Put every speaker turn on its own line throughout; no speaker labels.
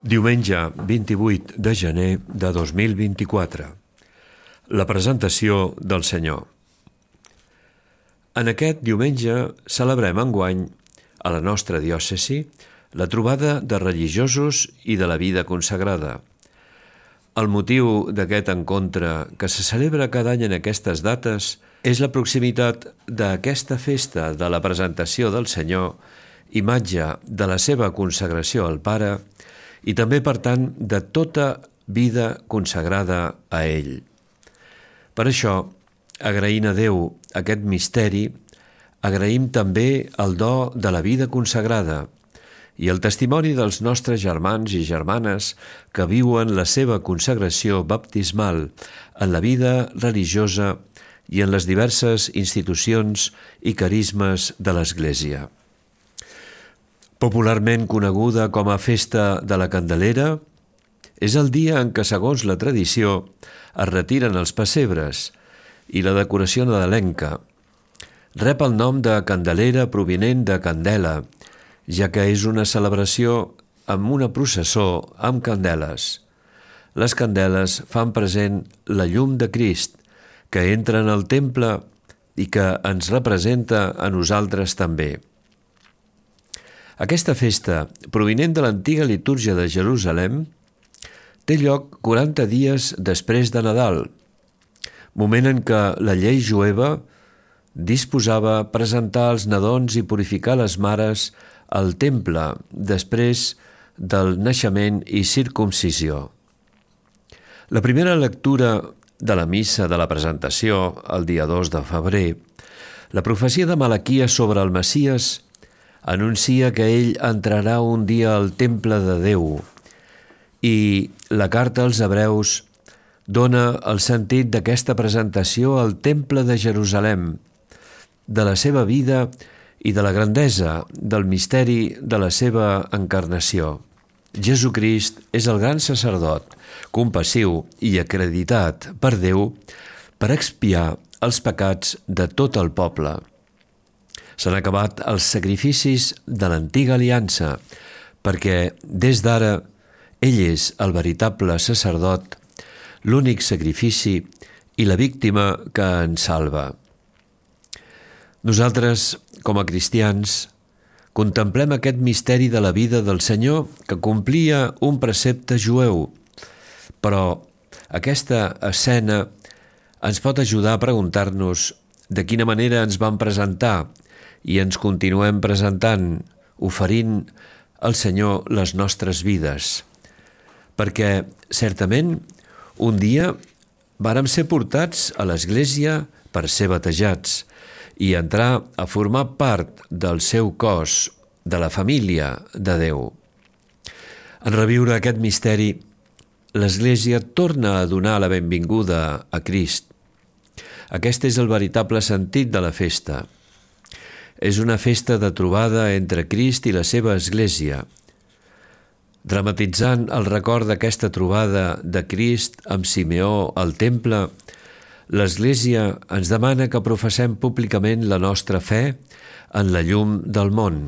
Diumenge 28 de gener de 2024. La presentació del Senyor. En aquest diumenge celebrem enguany, a la nostra diòcesi, la trobada de religiosos i de la vida consagrada. El motiu d'aquest encontre, que se celebra cada any en aquestes dates, és la proximitat d'aquesta festa de la presentació del Senyor, imatge de la seva consagració al Pare, i també, per tant, de tota vida consagrada a ell. Per això, agraint a Déu aquest misteri, agraïm també el do de la vida consagrada i el testimoni dels nostres germans i germanes que viuen la seva consagració baptismal en la vida religiosa i en les diverses institucions i carismes de l'Església. Popularment coneguda com a Festa de la Candelera, és el dia en què, segons la tradició, es retiren els pessebres i la decoració nadalenca. Rep el nom de Candelera provinent de candela, ja que és una celebració amb una processó amb candeles. Les candeles fan present la llum de Crist, que entra en el temple i que ens representa a nosaltres també. Aquesta festa, provinent de l'antiga litúrgia de Jerusalem, té lloc 40 dies després de Nadal, moment en què la llei jueva disposava presentar els nadons i purificar les mares al temple després del naixement i circumcisió. La primera lectura de la missa de la presentació, el dia 2 de febrer, la profecia de Malaquies sobre el Messies anuncia que ell entrarà un dia al temple de Déu i la carta als Hebreus dona el sentit d'aquesta presentació al temple de Jerusalem, de la seva vida i de la grandesa del misteri de la seva encarnació. Jesucrist és el gran sacerdot, compassiu i acreditat per Déu per expiar els pecats de tot el poble. S'han acabat els sacrificis de l'antiga aliança, perquè des d'ara ell és el veritable sacerdot, l'únic sacrifici i la víctima que ens salva. Nosaltres, com a cristians, contemplem aquest misteri de la vida del Senyor que complia un precepte jueu, però aquesta escena ens pot ajudar a preguntar-nos de quina manera ens vam presentar i ens continuem presentant, oferint al Senyor les nostres vides. Perquè, certament, un dia vàrem ser portats a l'Església per ser batejats i entrar a formar part del seu cos, de la família de Déu. En reviure aquest misteri, l'Església torna a donar la benvinguda a Crist. Aquest és el veritable sentit de la festa. És una festa de trobada entre Crist i la seva Església. Dramatitzant el record d'aquesta trobada de Crist amb Simeó al temple, l'Església ens demana que professem públicament la nostra fe en la llum del món,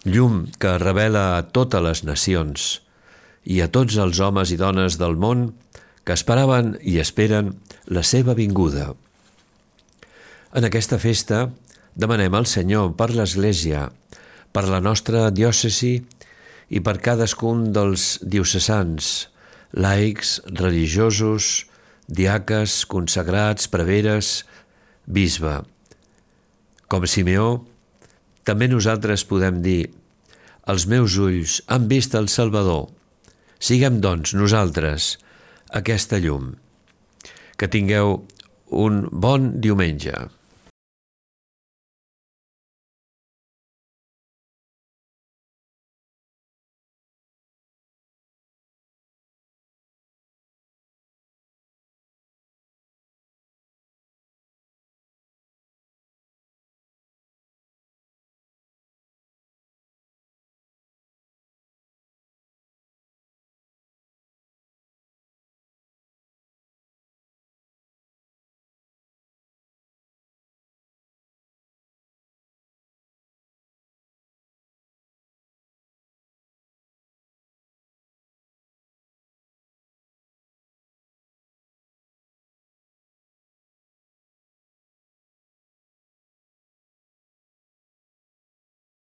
llum que revela a totes les nacions i a tots els homes i dones del món que esperaven i esperen la seva vinguda. En aquesta festa, demanem al Senyor per l'Església, per la nostra diòcesi i per cadascun dels diocesans, laics, religiosos, diaques, consagrats, preveres, bisbe. Com Simeó, també nosaltres podem dir: els meus ulls han vist el Salvador. Siguem, doncs, nosaltres aquesta llum. Que tingueu un bon diumenge.